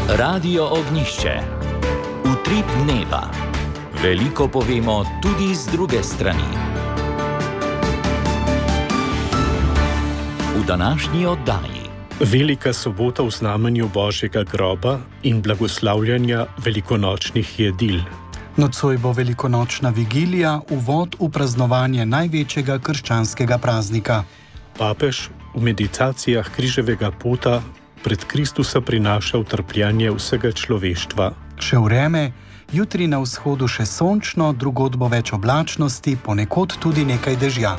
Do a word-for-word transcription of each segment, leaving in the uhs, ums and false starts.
Radio Ognjišče. Utrip dneva. Veliko povemo tudi z druge strani. V današnji oddaji. Velika sobota v znamenju Božjega groba in blagoslavljanja velikonočnih jedil. Nocoj bo velikonočna vigilija, uvod v praznovanje največjega krščanskega praznika. Papež v meditacijah križevega pota pred Kristusa prinaša utrpljanje vsega človeštva. Še vreme, jutri na vzhodu še sončno, drugod bo več oblačnosti, ponekod tudi nekaj dežja.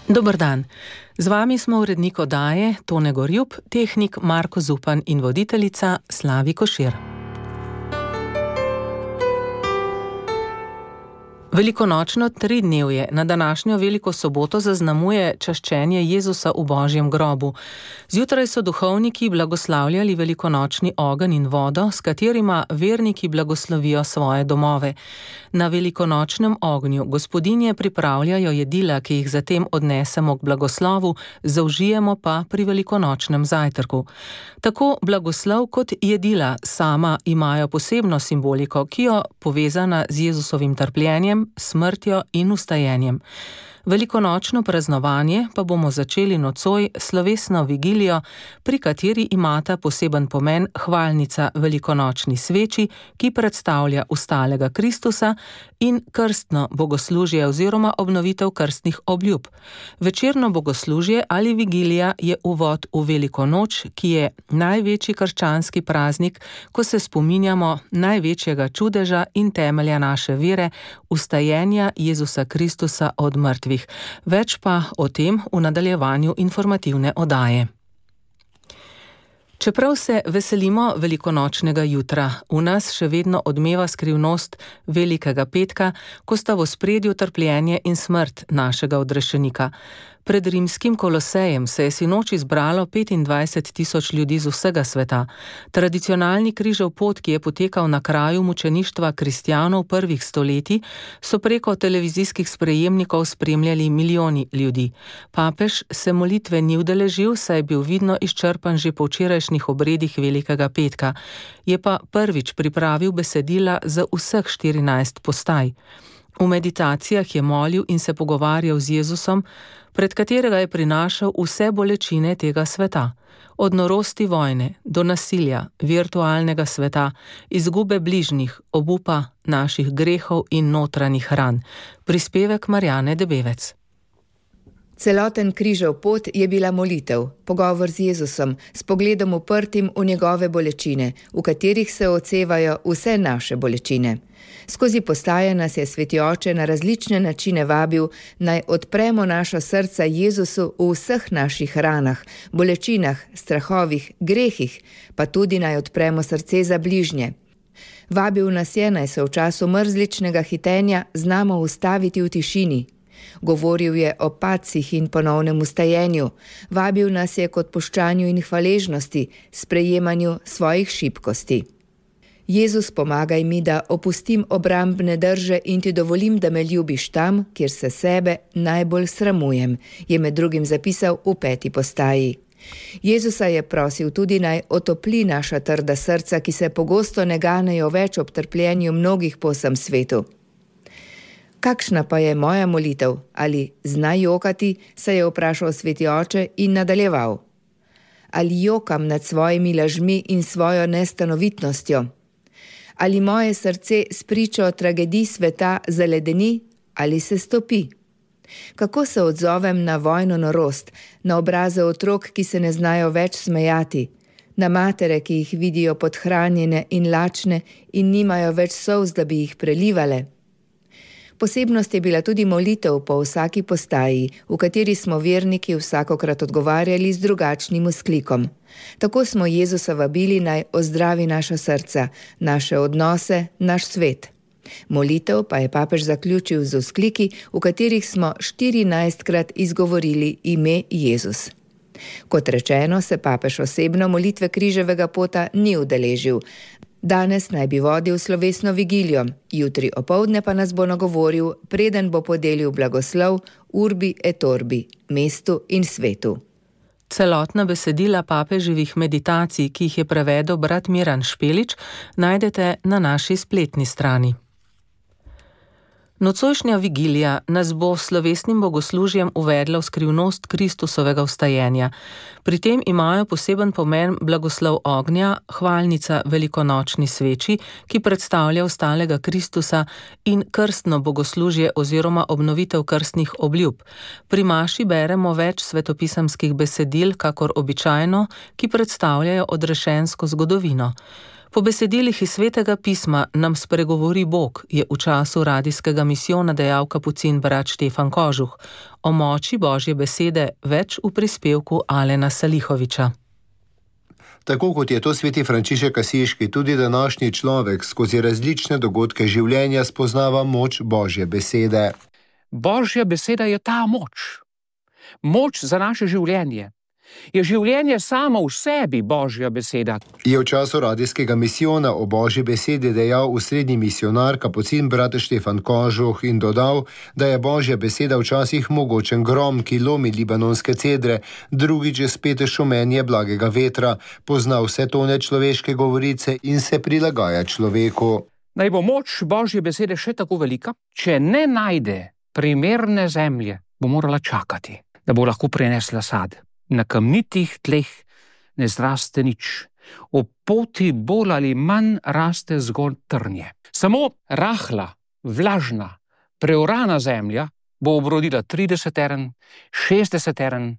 Dober dan. Z vami smo urednik oddaje Tone Gorjup, tehnik Marko Zupan in voditeljica Slavi Košir. Velikonočno tridnevje na današnjo veliko soboto zaznamuje čaščenje Jezusa v Božjem grobu. Zjutraj so duhovniki blagoslavljali velikonočni ogenj in vodo, s katerima verniki blagoslovijo svoje domove. Na velikonočnem ognju gospodinje pripravljajo jedila, ki jih zatem odnesemo k blagoslovu, zaužijemo pa pri velikonočnem zajtrku. Tako blagoslov kot jedila sama imajo posebno simboliko, ki jo povezana z Jezusovim trpljenjem, smrtjo in vstajenjem. Velikonočno praznovanje pa bomo začeli nocoj slovesno vigilijo, pri kateri imata poseben pomen hvalnica velikonočni sveči, ki predstavlja vstalega Kristusa, in krstno bogoslužje oziroma obnovitev krstnih obljub. Večerno bogoslužje ali vigilija je uvod v veliko noč, ki je največji krščanski praznik, ko se spominjamo največjega čudeža in temelja naše vere, vstajenja Jezusa Kristusa od mrtvih. Več pa o tem v nadaljevanju informativne oddaje. Čeprav se veselimo velikonočnega jutra, v nas še vedno odmeva skrivnost Velikega petka, ko sta v ospredju trpljenje in smrt našega odrešenika. Pred rimskim Kolosejem se je sinoči zbralo petindvajset tisoč ljudi z vsega sveta. Tradicionalni križev pot, ki je potekal na kraju mučeništva kristjanov prvih stoletij, so preko televizijskih sprejemnikov spremljali milijoni ljudi. Papež se molitve ni udeležil, saj je bil vidno izčrpan že po včerajšnjih obredih Velikega petka. Je pa prvič pripravil besedila za vseh štirinajst postaj. V meditacijah je molil in se pogovarjal z Jezusom, pred katerega je prinašal vse bolečine tega sveta. Od norosti vojne do nasilja, virtualnega sveta, izgube bližnjih, obupa naših grehov in notranjih ran. Prispevek Marjane Debevec. Celoten križev pot je bila molitev, pogovor z Jezusom, s pogledom uprtim v njegove bolečine, v katerih se odsevajo vse naše bolečine. Skozi postaje nas je Sveti Oče na različne načine vabil, naj odpremo naša srca Jezusu v vseh naših ranah, bolečinah, strahovih, grehih, pa tudi naj odpremo srce za bližnje. Vabil nas je, naj se v času mrzličnega hitenja znamo ustaviti v tišini. Govoril je o padcih in ponovnem vstajenju, vabil nas je k odpuščanju in hvaležnosti, sprejemanju svojih šibkosti. Jezus, pomagaj mi, da opustim obrambne drže in ti dovolim, da me ljubiš tam, kjer se sebe najbolj sramujem, je med drugim zapisal v peti postaji. Jezusa je prosil tudi, naj otopli naša trda srca, ki se pogosto ne ganejo več ob trpljenju mnogih po vsem svetu. Kakšna pa je moja molitev? Ali znaj jokati, se je vprašal Sveti Oče in nadaljeval. Ali jokam nad svojimi lažmi in svojo nestanovitnostjo? Ali moje srce spričo tragedij sveta zaledeni ali se stopi? Kako se odzovem na vojno norost, na obraze otrok, ki se ne znajo več smejati, na matere, ki jih vidijo podhranjene in lačne in nimajo več solz, da bi jih prelivale? Posebnost je bila tudi molitev po vsaki postaji, v kateri smo verniki vsakokrat odgovarjali z drugačnim vzklikom. Tako smo Jezusa vabili, naj ozdravi naša srca, naše odnose, naš svet. Molitev pa je papež zaključil z vzkliki, v katerih smo štirinajstkrat izgovorili ime Jezus. Kot rečeno, se papež osebno molitve križevega pota ni udeležil. Danes naj bi vodil slovesno vigilijo, jutri opoldne pa nas bo nagovoril, preden bo podelil blagoslov Urbi et Orbi, mestu in svetu. Celotna besedila papeževih meditacij, ki jih je prevedel brat Miran Špelič, najdete na naši spletni strani. Nocojšnja vigilija nas bo s slovesnim bogoslužjem uvedla v skrivnost Kristusovega vstajenja. Pri tem imajo poseben pomen blagoslov ognja, hvalnica velikonočni sveči, ki predstavlja vstalega Kristusa, in krstno bogoslužje oziroma obnovitev krstnih obljub. Pri maši beremo več svetopisemskih besedil, kakor običajno, ki predstavljajo odrešensko zgodovino. Po besedilih iz Svetega pisma nam spregovori Bog, je v času radijskega misijona dejal kapucin brat Štefan Kožuh. O moči Božje besede več v prispevku Alena Salihoviča. Tako kot je to sveti Frančišek Asiški, tudi današnji človek skozi različne dogodke življenja spoznava moč Božje besede. Božja beseda je ta moč. Moč za naše življenje. Je življenje samo v sebi Božja beseda. Je v času radijskega misijona o Božji besedi dejal usrednji misionar kapucin brat Štefan Kožuh in dodal, da je Božja beseda včasih mogočen grom, ki lomi libanonske cedre, drugič je spet šumenje blagega vetra, pozna vse tone človeške govorice in se prilagaja človeku. Naj bo moč Božje besede še tako velika, če ne najde primerne zemlje, bo morala čakati, da bo lahko prinesla sad. Na kamnitih tleh ne zraste nič. O poti bolj ali manj raste zgolj trnje. Samo rahla, vlažna, preorana zemlja bo obrodila trideset teren, šestdeset teren,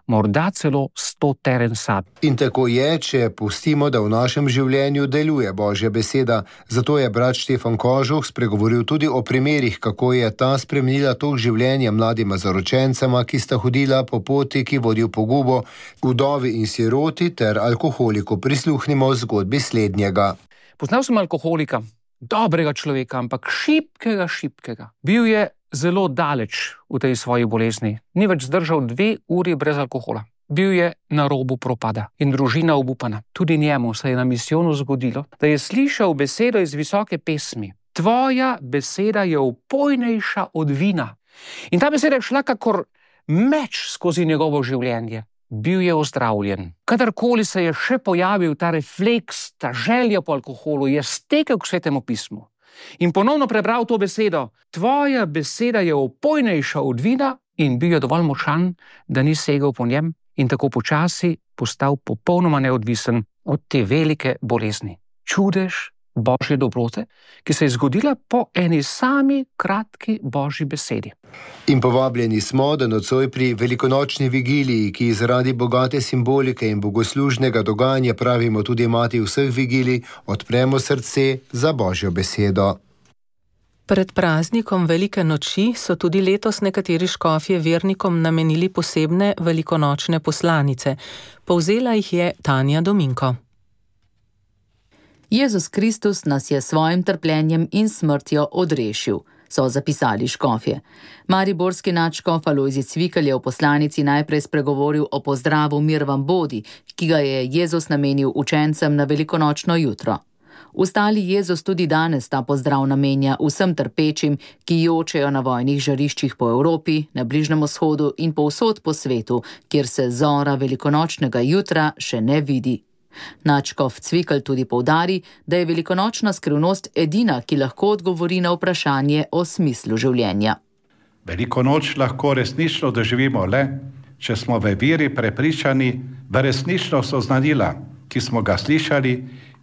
morda celo sto teren sad. In tako je, če pustimo, da v našem življenju deluje Božja beseda. Zato je brat Štefan Kožuh spregovoril tudi o primerih, kako je ta spremenila tok življenja mladima zaročencema, ki sta hodila po poti, ki vodi v pogubo, vdovi in siroti ter alkoholiku. Prisluhnimo zgodbi slednjega. Poznal sem alkoholika, dobrega človeka, ampak šibkega, šibkega. Bil je zelo daleč v tej svoji bolezni. Ni več zdržal dve uri brez alkohola. Bil je na robu propada in družina obupana. Tudi njemu se je na misijonu zgodilo, da je slišal besedo iz visoke pesmi. Tvoja beseda je opojnejša od vina. In ta beseda je šla kakor meč skozi njegovo življenje. Bil je ozdravljen. Kadarkoli se je še pojavil ta refleks, ta želja po alkoholu, je stekel k Svetemu pismu in ponovno prebral to besedo. Tvoja beseda je opojnejša od vina, in bil je dovolj močan, da ni segel po njem in tako počasi postal popolnoma neodvisen od te velike bolezni. Čudež Božje dobrote, ki se je zgodila po eni sami kratki Božji besedi. In povabljeni smo, da nocoj pri velikonočni vigiliji, ki zaradi bogate simbolike in bogoslužnega dogajanja pravimo tudi mati vseh vigilij, odpremo srce za Božjo besedo. Pred praznikom Velike noči so tudi letos nekateri škofje vernikom namenili posebne velikonočne poslanice. Povzela jih je Tanja Dominko. Jezus Kristus nas je svojim trpljenjem in smrtjo odrešil, so zapisali škofje. Mariborski nadškof Alojzij Cvikl je v poslanici najprej spregovoril o pozdravu Mir vam bodi, ki ga je Jezus namenil učencem na velikonočno jutro. Ustali Jezus tudi danes ta pozdrav namenja vsem trpečim, ki jočejo na vojnih žariščih po Evropi, na Bližnjem vzhodu in povsod po svetu, kjer se zora velikonočnega jutra še ne vidi. Nadškof Cvikl tudi poudari, da je velikonočna skrivnost edina, ki lahko odgovori na vprašanje o smislu življenja. Veliko noč lahko resnično doživimo le, če smo v veri prepričani v resnično soznanila, ki smo ga slišali,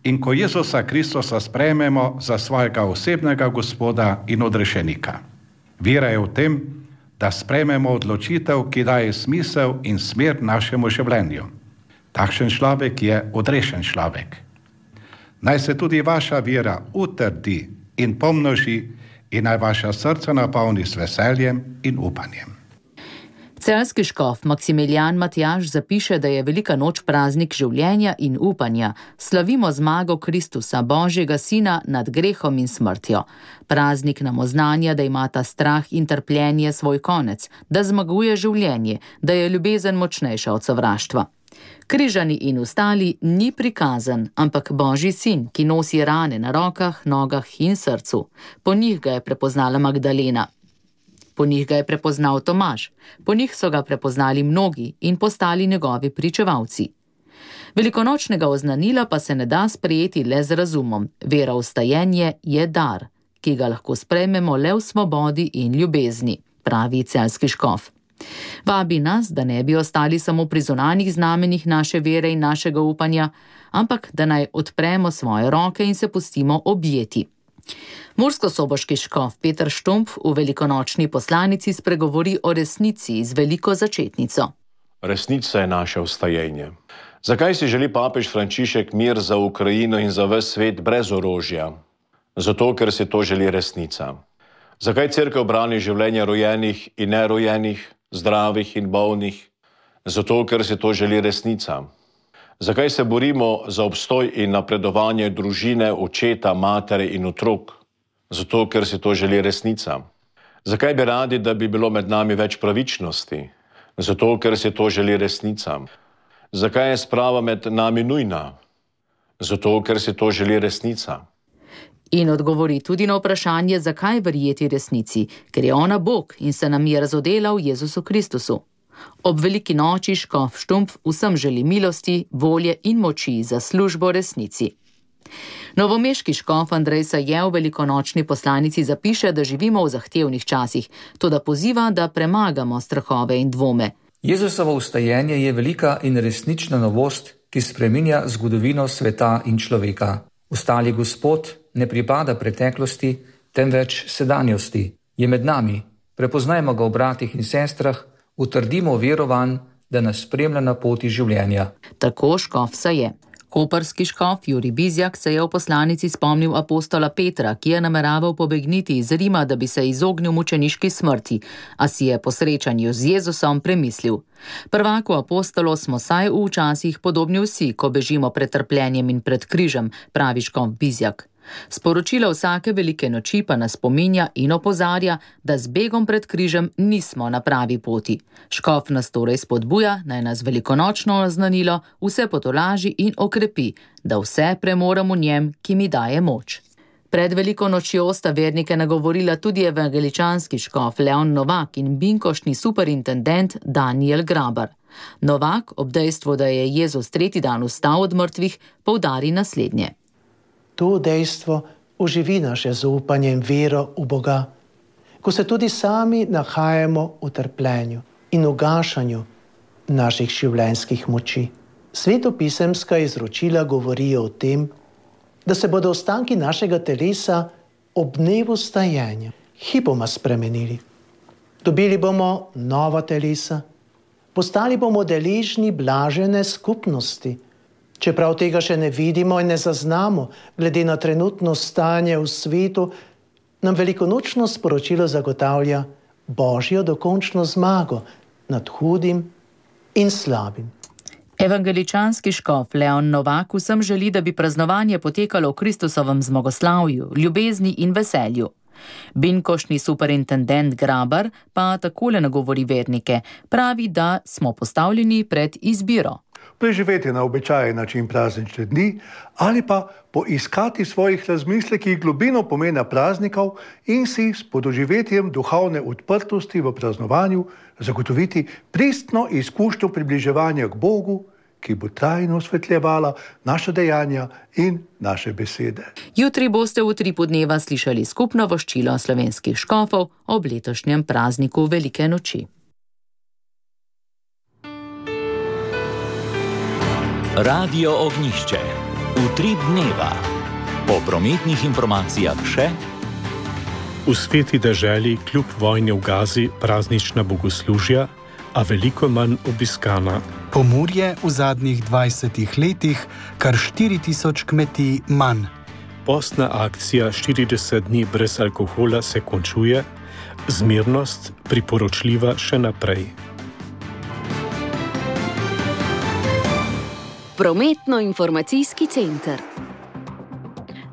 in ko Jezusa Kristusa sprejmemo za svojega osebnega Gospoda in odrešenika. Vera je v tem, da sprejmemo odločitev, ki daje smisel in smer našemu življenju. Takšen človek je odrešen človek. Naj se tudi vaša vera utrdi in pomnoži in naj vaša srca napolni s veseljem in upanjem. Celjski škof Maksimilijan Matjaž zapiše, da je Velika noč praznik življenja in upanja. Slavimo zmago Kristusa, Božjega sina, nad grehom in smrtjo. Praznik nam oznanja, da imata strah in trpljenje svoj konec, da zmaguje življenje, da je ljubezen močnejša od sovraštva. Križani in ostali ni prikazan, ampak Božji sin, ki nosi rane na rokah, nogah in srcu. Po njih ga je prepoznala Magdalena. Po njih ga je prepoznal Tomaž, po njih so ga prepoznali mnogi in postali njegovi pričevalci. Velikonočnega oznanila pa se ne da sprejeti le z razumom. Vera v stajenje je dar, ki ga lahko sprejmemo le v svobodi in ljubezni, pravi celjski škof. Vabi nas, da ne bi ostali samo pri zunanjih znamenjih naše vere in našega upanja, ampak da naj odpremo svoje roke in se pustimo objeti. Murskosoboški škof Peter Štumpf v velikonočni poslanici spregovori o resnici z veliko začetnico. Resnica je naše vstajenje. Zakaj si želi papež Frančišek mir za Ukrajino in za ves svet brez orožja? Zato, ker si to želi resnica. Zakaj cerkev brani življenja rojenih in nerojenih, zdravih in bolnih? Zato, ker si to želi resnica. Zakaj se borimo za obstoj in napredovanje družine, očeta, matere in otrok? Zato, ker si to želi resnica. Zakaj bi radi, da bi bilo med nami več pravičnosti? Zato, ker si to želi resnica. Zakaj je sprava med nami nujna? Zato, ker si to želi resnica. In odgovori tudi na vprašanje, zakaj verjeti resnici, ker je ona Bog in se nam je razodela v Jezusu Kristusu. Ob veliki noči škof Štumpf vsem želi milosti, volje in moči za službo resnici. Novomeški škof Andrej Saje v velikonočni poslanici zapiše, da živimo v zahtevnih časih, toda poziva, da premagamo strahove in dvome. Jezusovo vstajenje je velika in resnična novost, ki spreminja zgodovino sveta in človeka. Vstali Gospod ne pripada preteklosti, temveč sedanjosti. Je med nami, prepoznajmo ga v bratih in sestrah, utrdimo verovanj, da nas spremlja na poti življenja. Tako škof Saje. Koprski škof Jurij Bizjak se je v poslanici spomnil apostola Petra, ki je nameraval pobegniti iz Rima, da bi se izognil mučeniški smrti, a si je po srečanju z Jezusom premislil. Prvaku apostolo smo saj v časih podobni vsi, ko bežimo pred trpljenjem in pred križem, pravi škof Bizjak. Sporočilo vsake velike noči pa nas spominja in opozarja, da z begom pred križem nismo na pravi poti. Škof nas torej spodbuja, naj nas velikonočno oznanilo vse potolaži in okrepi, da vse premorem v njem, ki mi daje moč. Pred veliko nočjo sta vernike nagovorila tudi evangeličanski škof Leon Novak in binkošni superintendent Daniel Grabar. Novak, ob dejstvu, da je Jezus tretji dan vstal od mrtvih, poudari naslednje. To dejstvo oživi naše zaupanje in vero v Boga, ko se tudi sami nahajamo v trpljenju in ugašanju naših življenjskih moči. Svetopisemska izročila govorijo o tem, da se bodo ostanki našega telesa ob dnevu vstajenja hipoma spremenili. Dobili bomo nova telesa, postali bomo deležni blažene skupnosti, čeprav tega še ne vidimo in ne zaznamo, glede na trenutno stanje v svetu, nam velikonočno sporočilo zagotavlja Božjo dokončno zmago nad hudim in slabim. Evangeličanski škof Leon Novak vsem želi, da bi praznovanje potekalo v Kristusovem zmagoslavju, ljubezni in veselju. Binkošni superintendent Grabar pa takole nagovori vernike, pravi, da smo postavljeni pred izbiro. Preživeti na običajen način praznične dni ali pa poiskati v svojih razmislekih globino pomena praznikov in si s podoživetjem duhovne odprtosti v praznovanju zagotoviti pristno izkušnjo približevanja k Bogu, ki bo trajno osvetljevala naša dejanja in naše besede. Jutri boste v Utripu dneva slišali skupno voščilo slovenskih škofov ob letošnjem prazniku Velike noči. Radio Ognjišče. Utrip dneva. Po prometnih informacijah še: v sveti deželi kljub vojni v Gazi praznična bogoslužja, a veliko manj obiskana. Pomurje v zadnjih dvajsetih letih kar štiri tisoč kmetij manj. Postna akcija štirideset dni brez alkohola se končuje, zmernost priporočljiva še naprej. Prometno-informacijski center.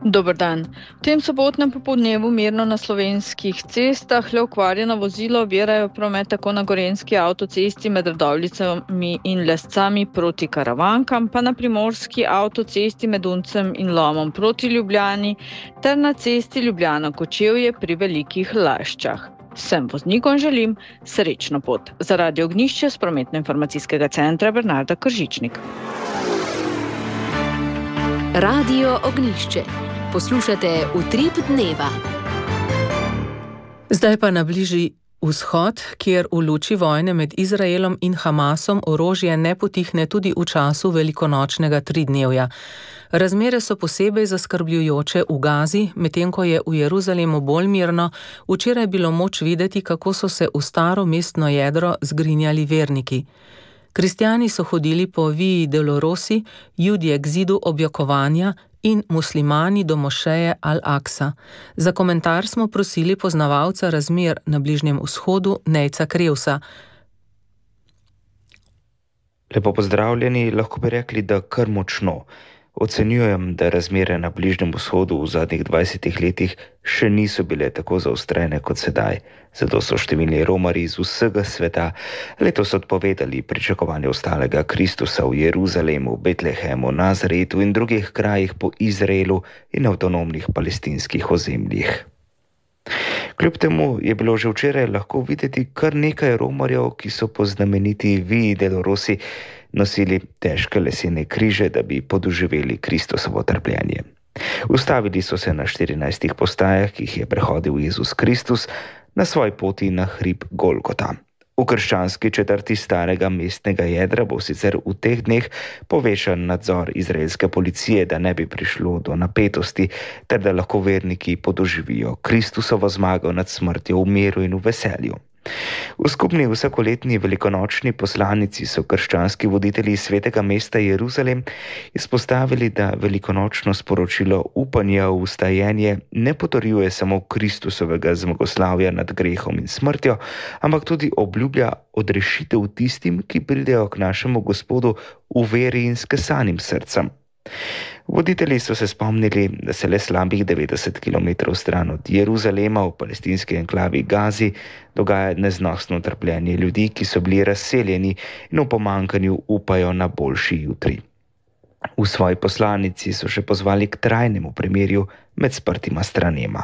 Dober dan. V tem sobotnem popoldnevu mirno na slovenskih cestah le okvarjena vozila ovirajo promet tako na gorenjski avtocesti med Radovljicami in Lescami proti Karavankam, pa na primorski avtocesti med Uncem in Lomom proti Ljubljani ter na cesti Ljubljana-Kočevje pri Velikih Laščah. Vsem voznikom želim srečno pot. Za Radio Ognjišče s prometno-informacijskega centra Bernarda Kržičnik. Radio Ognjišče. Poslušate Utrip dneva. Zdaj pa na Bližnji vzhod, kjer v luči vojne med Izraelom in Hamasom orožje ne potihne tudi v času velikonočnega tridnevja. Razmere so posebej zaskrbljujoče v Gazi, medtem ko je v Jeruzalemu bolj mirno, včeraj bilo moč videti, kako so se v staro mestno jedro zgrinjali verniki. Kristjani so hodili po Vii Dolorosi, Judje k zidu objokovanja in muslimani do mošeje Al-Aksa. Za komentar smo prosili poznavalca razmer na Bližnjem vzhodu Nejca Krevsa. Lepo pozdravljeni, lahko bi rekli, da kar močno. Ocenjujem, da razmere na Bližnjem vzhodu v zadnjih dvajsetih letih še niso bile tako zaostrene kot sedaj. Zato so številni romarji iz vsega sveta letos odpovedali pričakovanje ostalega Kristusa v Jeruzalemu, Betlehemu, Nazaretu in drugih krajih po Izraelu in avtonomnih palestinskih ozemljih. Kljub temu je bilo že včeraj lahko videti kar nekaj romarjev, ki so po znameniti Vii Dolorosi nosili težke lesene križe, da bi podoživeli Kristusovo trpljenje. Ustavili so se na štirinajstih postajah, ki jih je prehodil Jezus Kristus na svoji poti na hrib Golgota. V krščanski četrti starega mestnega jedra bo sicer v teh dneh povečan nadzor izraelske policije, da ne bi prišlo do napetosti, ter da lahko verniki podoživijo Kristusovo zmago nad smrtjo v miru in v veselju. V skupni vsakoletni velikonočni poslanici so krščanski voditelji svetega mesta Jeruzalem izpostavili, da velikonočno sporočilo upanja v vstajenje ne potrjuje samo Kristusovega zmagoslavja nad grehom in smrtjo, ampak tudi obljublja odrešitev tistim, ki pridejo k našemu Gospodu v veri in s kesanim srcem. Voditelji so se spomnili, da se le slabih devetdeset kilometrov stran od Jeruzalema v palestinski enklavi Gazi dogaja neznosno trpljenje ljudi, ki so bili razseljeni in v pomankanju upajo na boljši jutri. V svoji poslanici so še pozvali k trajnemu premirju med sprtima stranema.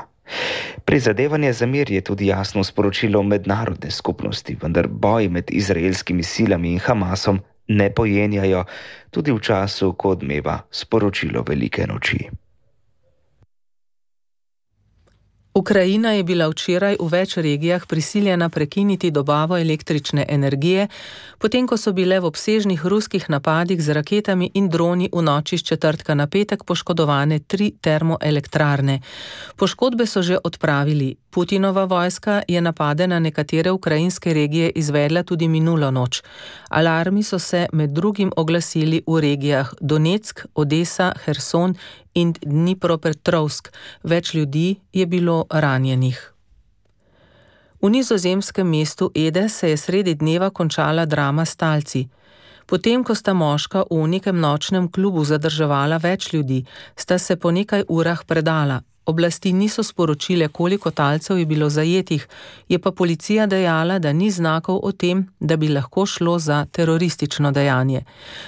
Prizadevanje za mir je tudi jasno sporočilo mednarodne skupnosti, vendar boji med izraelskimi silami in Hamasom ne pojenjajo tudi v času, ko odmeva sporočilo velike noči. Ukrajina je bila včeraj v več regijah prisiljena prekiniti dobavo električne energije, potem ko so bile v obsežnih ruskih napadih z raketami in droni v noči s četrtka na petek poškodovane tri termoelektrarne. Poškodbe so že odpravili. Putinova vojska je napade na nekatere ukrajinske regije izvedla tudi minulo noč. Alarmi so se med drugim oglasili v regijah Donetsk, Odesa, Herson in Dnipropetrovsk. Več ljudi je bilo ranjenih. V nizozemskem mestu Ede se je sredi dneva končala drama s talci. Potem, ko sta moška v nekem nočnem klubu zadrževala več ljudi, sta se po nekaj urah predala. Oblasti niso sporočile, koliko talcev je bilo zajetih, je pa policija dejala, da ni znakov o tem, da bi lahko šlo za teroristično dejanje.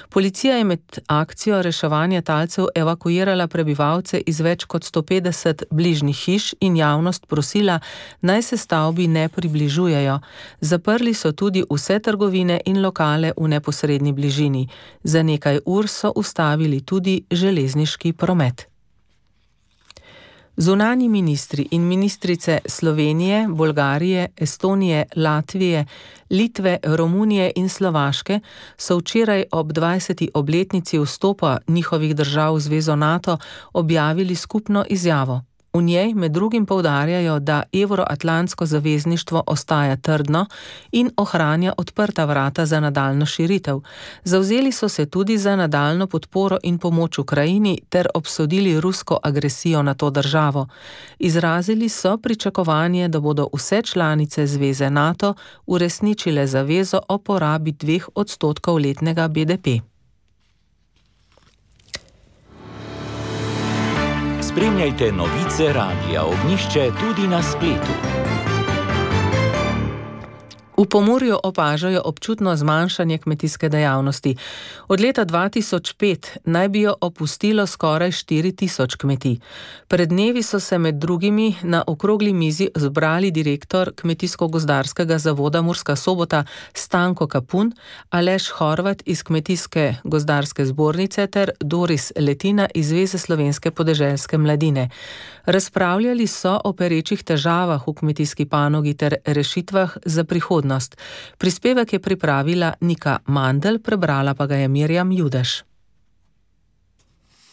Policija je med akcijo reševanja talcev evakuirala prebivalce iz več kot sto petdeset bližnjih hiš in javnost prosila, naj se stavbi ne približujejo. Zaprli so tudi vse trgovine in lokale v neposredni bližini. Za nekaj ur so ustavili tudi železniški promet. Zunanji ministri in ministrice Slovenije, Bolgarije, Estonije, Latvije, Litve, Romunije in Slovaške so včeraj ob dvajseti obletnici vstopa njihovih držav v zvezo NATO objavili skupno izjavo. V njej med drugim poudarjajo, da evroatlantsko zavezništvo ostaja trdno in ohranja odprta vrata za nadaljnjo širitev. Zavzeli so se tudi za nadaljnjo podporo in pomoč Ukrajini ter obsodili rusko agresijo na to državo. Izrazili so pričakovanje, da bodo vse članice zveze NATO uresničile zavezo o porabi dveh odstotkov letnega B D P. Spremljajte novice Radia Ognjišče tudi na spletu. V Pomurju opažajo občutno zmanjšanje kmetijske dejavnosti. Od leta dva tisoč pet naj bi jo opustilo skoraj štiri tisoč kmetij. Pred dnevi so se med drugimi na okrogli mizi zbrali direktor Kmetijsko-gozdarskega zavoda Murska Sobota Stanko Kapun, Aleš Horvat iz Kmetijske gozdarske zbornice ter Doris Letina iz Zveze slovenske podeželske mladine. Razpravljali so o perečih težavah v kmetijski panogi ter rešitvah za prihodnost. Prispevek je pripravila Nika Mandl, prebrala pa ga je Mirjam Judež.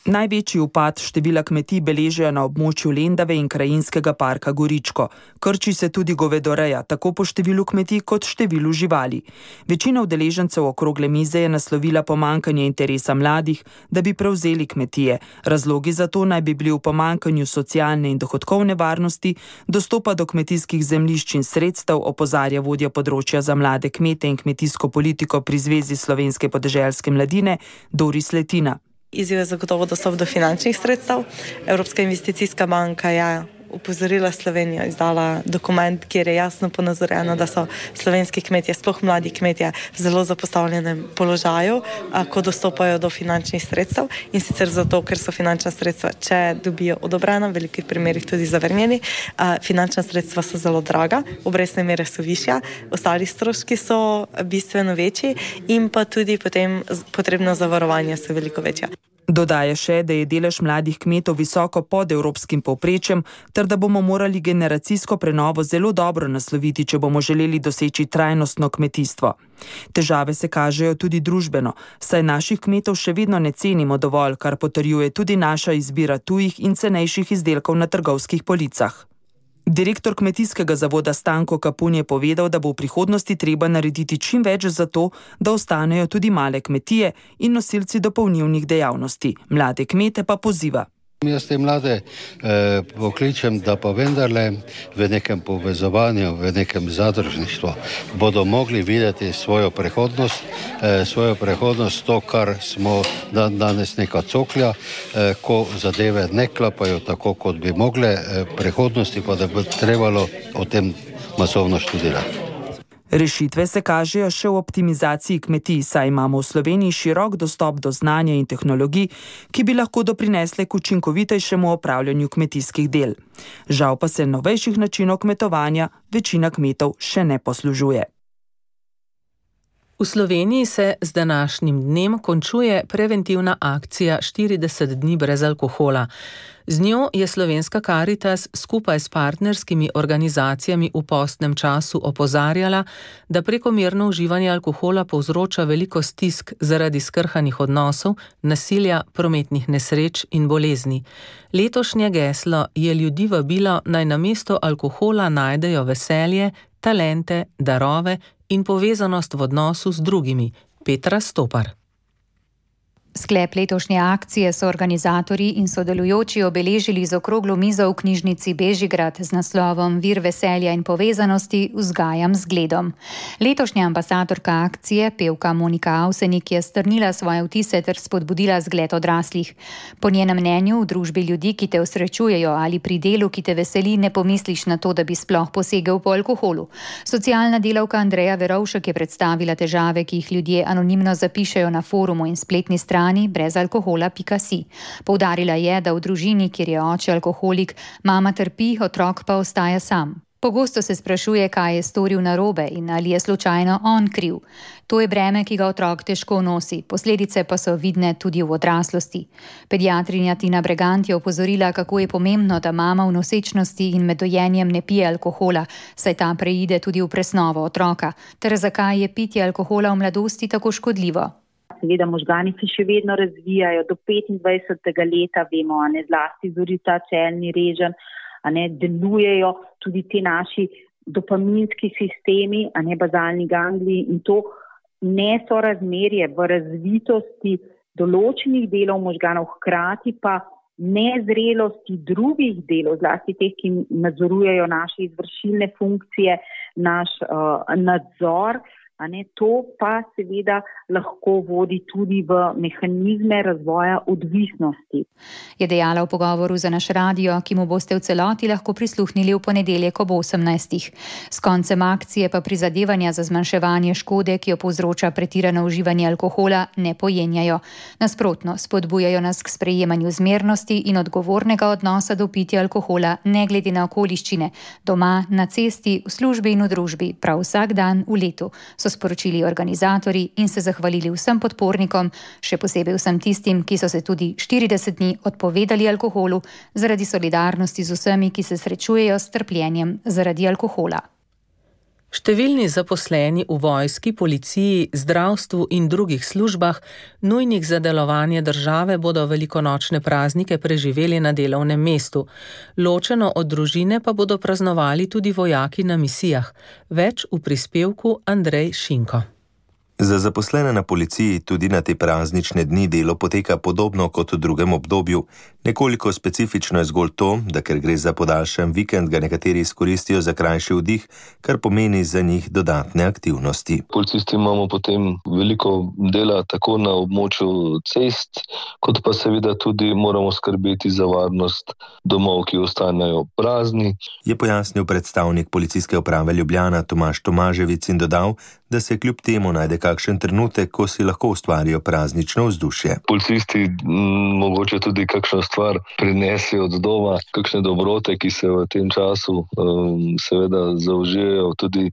Največji upad števila kmetij beležijo na območju Lendave in krajinskega parka Goričko. Krči se tudi govedoreja, tako po številu kmetij kot številu živali. Večina udeležencev okrogle mize je naslovila pomanjkanje interesa mladih, da bi prevzeli kmetije. Razlogi za to naj bi bili v pomanjkanju socialne in dohodkovne varnosti, dostopa do kmetijskih zemljišč in sredstev, opozarja vodja področja za mlade kmete in kmetijsko politiko pri Zvezi slovenske podeželske mladine Doris Letina. Izziv je zagotovo dostop do finančnih sredstev. Evropska investicijska banka je upozorila Slovenijo, izdala dokument, kjer je jasno ponazorjeno, da so slovenski kmetje, sploh mladi kmetje, v zelo zapostavljenem položaju, ko dostopajo do finančnih sredstev, in sicer zato, ker so finančna sredstva, če dobijo odobrena, v velikih primerih tudi zavrnjeni, finančna sredstva so zelo draga, obrestne mere so višja, ostali stroški so bistveno večji in pa tudi potem potrebno zavarovanje so veliko večja. Dodaja še, da je delež mladih kmetov visoko pod evropskim povprečjem, ter da bomo morali generacijsko prenovo zelo dobro nasloviti, če bomo želeli doseči trajnostno kmetijstvo. Težave se kažejo tudi družbeno, saj naših kmetov še vedno ne cenimo dovolj, kar potrjuje tudi naša izbira tujih in cenejših izdelkov na trgovskih policah. Direktor Kmetijskega zavoda Stanko Kapun je povedal, da bo v prihodnosti treba narediti čim več za to, da ostanejo tudi male kmetije in nosilci dopolnilnih dejavnosti. Mlade kmete pa poziva. Jaz te mlade eh, pokličem, da pa vendarle v nekem povezovanju, v nekem zadružništvu bodo mogli videti svojo prihodnost, eh, svojo prihodnost, to, kar smo dan, danes neka coklja, eh, ko zadeve ne klapajo tako, kot bi mogle, eh, prihodnosti pa da bi trebalo o tem masovno študirati. Rešitve se kažejo še v optimizaciji kmetij, saj imamo v Sloveniji širok dostop do znanja in tehnologij, ki bi lahko doprinesle k učinkovitejšemu opravljanju kmetijskih del. Žal pa se novejših načinov kmetovanja večina kmetov še ne poslužuje. V Sloveniji se z današnjim dnem končuje preventivna akcija štirideset dni brez alkohola. Z njo je Slovenska Karitas skupaj s partnerskimi organizacijami v postnem času opozarjala, da prekomerno uživanje alkohola povzroča veliko stisk zaradi skrhanih odnosov, nasilja, prometnih nesreč in bolezni. Letošnje geslo je ljudi vabilo, naj namesto alkohola najdejo veselje, talente, darove in povezanost v odnosu z drugimi. Petra Stopar. Sklep letošnje akcije so organizatorji in sodelujoči obeležili z okroglo mizo v knjižnici Bežigrad z naslovom Vir veselja in povezanosti vzgajam z zgledom. Letošnja ambasadorka akcije, pevka Monika Avsenik, je strnila svoje vtise ter spodbudila zgled odraslih. Po njenem mnenju v družbi ljudi, ki te osrečujejo, ali pri delu, ki te veseli, ne pomisliš na to, da bi sploh posegel po alkoholu. Socialna delavka Andreja Verovšek je predstavila težave, ki jih ljudje anonimno zapišejo na forumu in spletni strani brezalkohola pika si. Poudarila je, da v družini, kjer je oče alkoholik, mama trpi, otrok pa ostaja sam. Pogosto se sprašuje, kaj je storil narobe in ali je slučajno on kriv. To je breme, ki ga otrok težko nosi, posledice pa so vidne tudi v odraslosti. Pediatrinja Tina Bregant je opozorila, kako je pomembno, da mama v nosečnosti in med dojenjem ne pije alkohola, saj ta preide tudi v presnovo otroka, ter zakaj je pitje alkohola v mladosti tako škodljivo. Seveda možgani se še vedno razvijajo do petindvajsetega leta, vemo, a ne zlasti zorita čelni reženj, a ne delujejo tudi ti naši dopaminski sistemi, a ne bazalni gangliji, in to nesorazmerje v razvitosti določenih delov možganov, hkrati pa nezrelosti drugih delov, zlasti teh, ki nadzorujejo naše izvršilne funkcije, naš uh, nadzor, A ne, to pa seveda lahko vodi tudi v mehanizme razvoja odvisnosti. Je dejala v pogovoru za naš radio, ki mu boste v celoti lahko prisluhnili v ponedeljek ob osemnajstih. S koncem akcije pa prizadevanja za zmanjševanje škode, ki jo povzroča pretirano uživanje alkohola, ne pojenjajo. Nasprotno, spodbujajo nas k sprejemanju zmernosti in odgovornega odnosa do pitja alkohola, ne glede na okoliščine, doma, na cesti, v službi in v družbi, prav vsak dan v letu, so sporočili organizatorji in se zahvalili vsem podpornikom, še posebej vsem tistim, ki so se tudi štirideset dni odpovedali alkoholu zaradi solidarnosti z vsemi, ki se srečujejo s trpljenjem zaradi alkohola. Številni zaposleni v vojski, policiji, zdravstvu in drugih službah, nujnih za delovanje države, bodo velikonočne praznike preživeli na delovnem mestu. Ločeno od družine pa bodo praznovali tudi vojaki na misijah. Več v prispevku Andrej Šinko. Za zaposlene na policiji tudi na te praznične dni delo poteka podobno kot v drugem obdobju. Nekoliko specifično je zgolj to, da ker gre za podaljšan vikend, ga nekateri izkoristijo za krajši vdih, kar pomeni za njih dodatne aktivnosti. Policisti imamo potem veliko dela tako na območju cest, kot pa seveda tudi moramo skrbeti za varnost domov, ki ostanejo prazni. Je pojasnil predstavnik Policijske uprave Ljubljana Tomaž Tomaževic in dodal, da se kljub temu najde kakšen trenutek, ko si lahko ustvarijo praznično vzdušje. Policisti m, mogoče tudi kakšno stvar prinesijo od doma, kakšne dobrote, ki se v tem času um, seveda zaužijejo. Tudi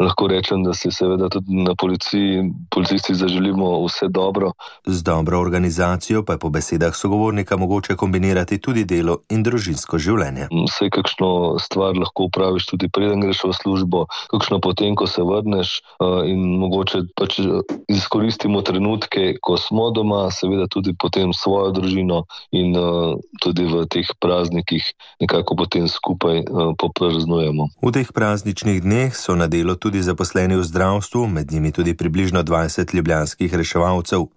lahko rečem, da se seveda tudi na policiji, policisti zaželimo vse dobro. Z dobro organizacijo pa je po besedah sogovornika mogoče kombinirati tudi delo in družinsko življenje. Vse kakšno stvar lahko upraviš tudi preden greš v službo, kakšno potem, ko se vrneš, in mogoče pač izkoristimo trenutke, ko smo doma, seveda tudi potem svojo družino in uh, tudi v teh praznikih nekako potem skupaj uh, popraznujemo. V teh prazničnih dneh so na delo tudi zaposleni v zdravstvu, med njimi tudi približno dvajset ljubljanskih reševalcev.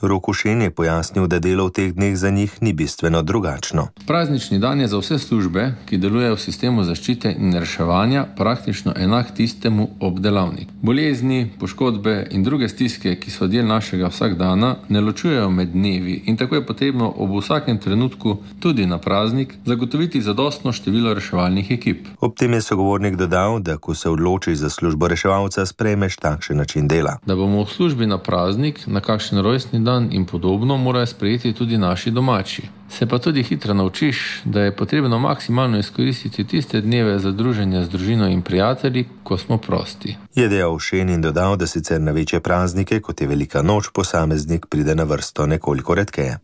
Rok Ušen je pojasnil, da delo v teh dneh za njih ni bistveno drugačno. Praznični dan je za vse službe, ki delujejo v sistemu zaščite in reševanja, praktično enak tistemu ob delavniku. Bolezni, poškodbe in druge stiske, ki so del našega vsakdana, ne ločujejo med dnevi in tako je potrebno ob vsakem trenutku, tudi na praznik, zagotoviti zadostno število reševalnih ekip. Ob tem je sogovornik dodal, da ko se odločiš za službo reševalca, sprejmeš takšen način dela. Da bomo v službi na praznik, na kakšen rojstni dan in podobno morajo sprejeti tudi naši domači. Se pa tudi hitro naučiš, da je potrebno maksimalno izkoristiti tiste dneve za druženje z družino in prijatelji, ko smo prosti. Je dejal Ušen in dodal, da sicer na večje praznike, kot je velika noč, posameznik pride na vrsto nekoliko redkeje.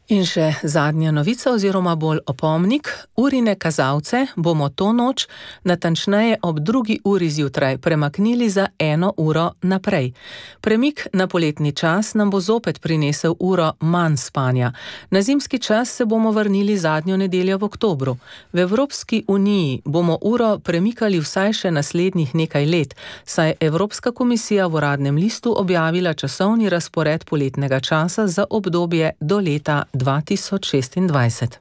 In še zadnja novica oziroma bolj opomnik. Urine kazalce bomo to noč, natančneje ob drugi uri zjutraj, premaknili za eno uro naprej. Premik na poletni čas nam bo zopet prinesel uro manj spanja. Na zimski čas se bomo vrnili zadnjo nedeljo v oktobru. V Evropski uniji bomo uro premikali vsaj še naslednjih nekaj let, saj Evropska komisija v uradnem listu objavila časovni razpored poletnega časa za obdobje do leta dva tisoč šestindvajset.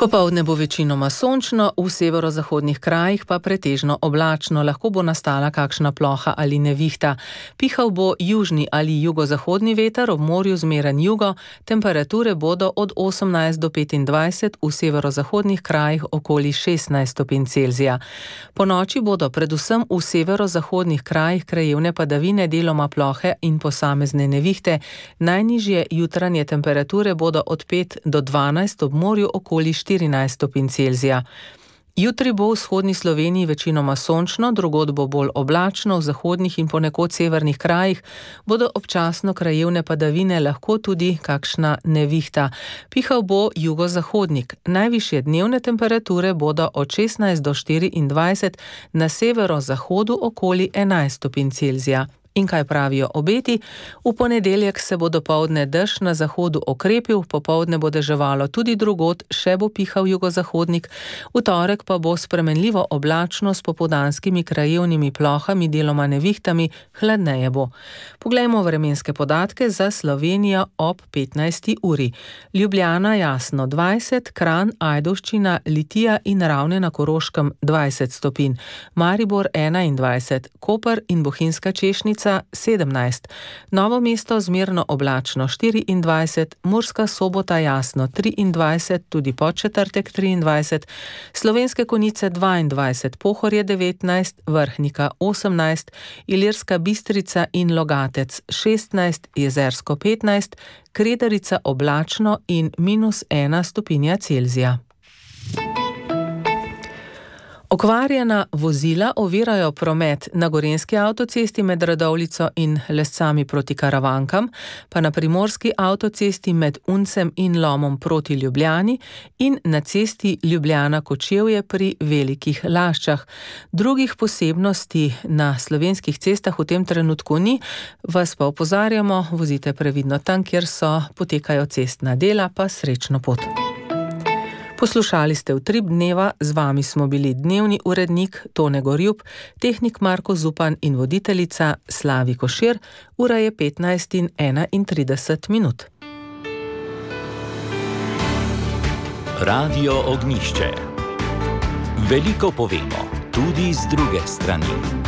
Popoldne bo večinoma sončno, v severozahodnih krajih pa pretežno oblačno, lahko bo nastala kakšna ploha ali nevihta. Pihal bo južni ali jugozahodni veter, ob morju zmeren jugo, temperature bodo od osemnajst do petindvajset, v severozahodnih krajih okoli šestnajst stopinj Celzija. Po noči bodo predvsem v severozahodnih krajih krajevne padavine, deloma plohe in posamezne nevihte. Najnižje jutranje temperature bodo od pet do dvanajst, ob morju okoli štirinajst stopinj Celzija. Jutri bo v vzhodni Sloveniji večinoma sončno, drugod bo bolj oblačno, v zahodnih in ponekod severnih krajih bodo občasno krajevne padavine, lahko tudi kakšna nevihta. Pihal bo jugozahodnik. Najvišje dnevne temperature bodo od šestnajst do štiriindvajset, na severozahodu okoli enajst stopinj Celzija. In kaj pravijo obeti? V ponedeljek se bo dopoldne dež na zahodu okrepil, popoldne bo deževalo tudi drugod, še bo pihal jugozahodnik, v torek pa bo spremenljivo oblačno s popoldanskimi krajevnimi plohami, deloma nevihtami, hladneje bo. Poglejmo vremenske podatke za Slovenijo ob petnajsti uri. Ljubljana jasno dvajset, Kranj, Ajdovščina, Litija in Ravne na Koroškem dvajset stopinj, Maribor enaindvajset, Koper in Bohinjska Češnica sedemnajst, Novo mesto zmerno oblačno štiriindvajset, Murska Sobota jasno triindvajset, tudi Podčetrtek triindvajset, Slovenske Konjice dvaindvajset, Pohorje devetnajst, Vrhnika osemnajst, Ilirska Bistrica in Logatec šestnajst, Jezersko petnajst, Kredarica oblačno in minus ena stopinja Celzija. Okvarjena vozila ovirajo promet na Gorenjski avtocesti med Radovljico in Lescami proti Karavankam, pa na Primorski avtocesti med Uncem in Lomom proti Ljubljani in na cesti Ljubljana-Kočevje pri Velikih Laščah. Drugih posebnosti na slovenskih cestah v tem trenutku ni, vas pa opozarjamo, vozite previdno tam, kjer so potekajo cestna dela, pa srečno pot. Poslušali ste Utrip dneva, z vami smo bili dnevni urednik Tone Gorjup, tehnik Marko Zupan in voditeljica Slavi Košir. Ura je petnajst in enaintrideset minut. Radio Ognjišče. Veliko povemo, tudi z druge strani.